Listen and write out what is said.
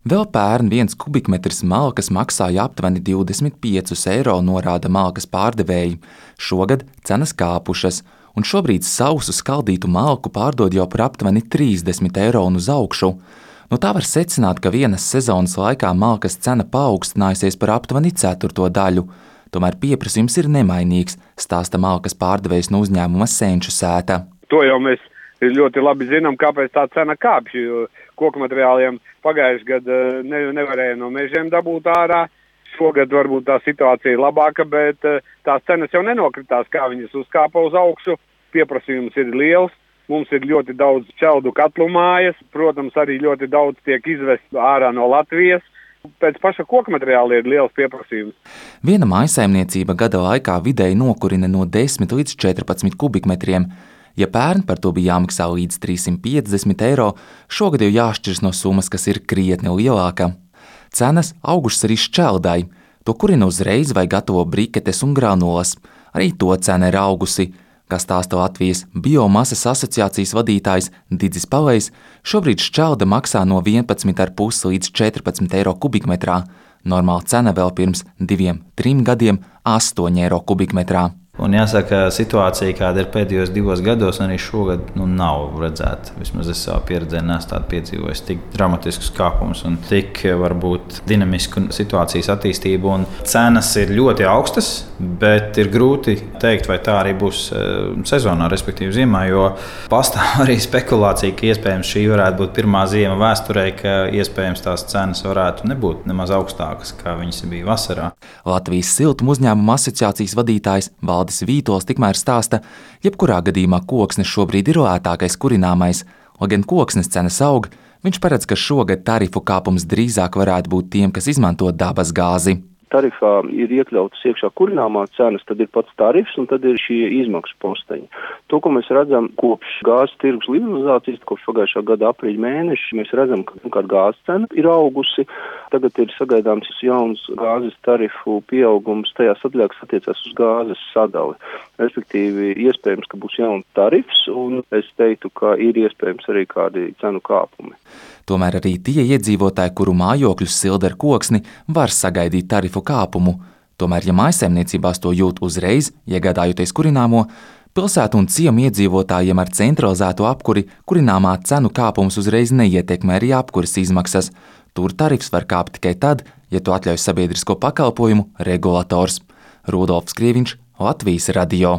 Vēl pērn 1 kubikmetrs malkas maksāja aptuveni 25 eiro, norāda malkas pārdevēji. Šogad cenas kāpušas, un šobrīd sausu skaldītu malku pārdod jau par aptuveni 30 eiro un uz augšu. No tā var secināt, ka vienas sezonas laikā malkas cena paaugstinājusies par aptuveni ceturto daļu. Tomēr pieprasījums ir nemainīgs, stāsta malkas pārdevējs no uzņēmuma Senču sēta. To jau mēs ļoti labi zinām, kāpēc tā cena kāpj, jo koku materiāliem pagājuši gadu nevarēja no mežiem dabūt ārā. Šogad varbūt tā situācija ir labāka, bet tās cenas jau nenokritās, kā viņas uzkāpa uz augšu. Pieprasījums ir liels, mums ir ļoti daudz šķeldu katlu mājas, protams, arī ļoti daudz tiek izvest ārā no Latvijas. Pēc paša koku materiāla ir liels pieprasījums. Viena mājsaimniecība gada laikā vidēji nokurina no 10 līdz 14 kubikmetriem. Ja pērn par to bija jāmaksā līdz 350 eiro, šogad jau jāšķiras no summas, kas ir krietni lielāka. Cenas augušas arī šķeldai. To kurina uzreiz vai gatavo briketes un granulas. Arī to cena ir augusi. Kā stāsta Latvijas biomasas asociācijas vadītājs Didzis Pavejs, šobrīd šķelda maksā no 11,5 līdz 14 eiro kubikmetrā. Normāla cena vēl pirms 2-3 gadiem 8 eiro kubikmetrā. Un jāsaka, situācija, kāda ir pēdējos 2 gados, arī šogad nav redzēta. Vismaz es savā pieredzē neesmu tādu piedzīvojis tik dramatiskus kāpumus un tik varbūt dinamisku situācijas attīstību. Un cenas ir ļoti augstas, bet ir grūti teikt, vai tā arī būs sezonā, respektīvi ziemā, jo pastāv arī spekulācija, ka iespējams šī varētu būt pirmā ziema vēsturē, ka iespējams tās cenas varētu nebūt nemaz augstākas, kā viņas bija vasarā. Latvijas siltuma uzņēmuma asociācijas vadītājs Valdis Vītols tikmēr stāsta, jebkurā gadījumā koksnes šobrīd ir lētākais kurināmais. Lai gan koksnes cenas aug, viņš paredz, ka šogad tarifu kāpums drīzāk varētu būt tiem, kas izmanto dabas gāzi. Tarifā ir iekļautas iekšā kurināmā cenas, tad ir pats tarifs un tad ir šie izmaksu posteņi. To, ko mēs redzam kopš gāzes tirgus liberalizācijas, kopš pagājušā gada aprīļa mēneša, mēs redzam, ka gāzes cena ir augusi. Tagad ir sagaidāms jauns gāzes tarifu pieaugums tajās sadaļās, kas attiecās uz gāzes sadali. Respektīvi, iespējams, ka būs jauns tarifs, un es teiktu, ka ir iespējams arī kādi cenu kāpumi. Tomēr arī tie iedzīvotāji, kuru mājokļus silda ar koksni, var sagaidīt tarifu kāpumu. Tomēr, ja mājsaimniecībās to jūt uzreiz, iegādājoties kurināmo, pilsētu un ciemu iedzīvotājiem ar centralizēto apkuri kurināmā cenu kāpums uzreiz neietekmē arī apkuras izmaksas. Tur tarifs var kāpt tikai tad, ja to atļauj sabiedrisko pakalpojumu regulators. Rudolfs Krieviņš, Latvijas radio.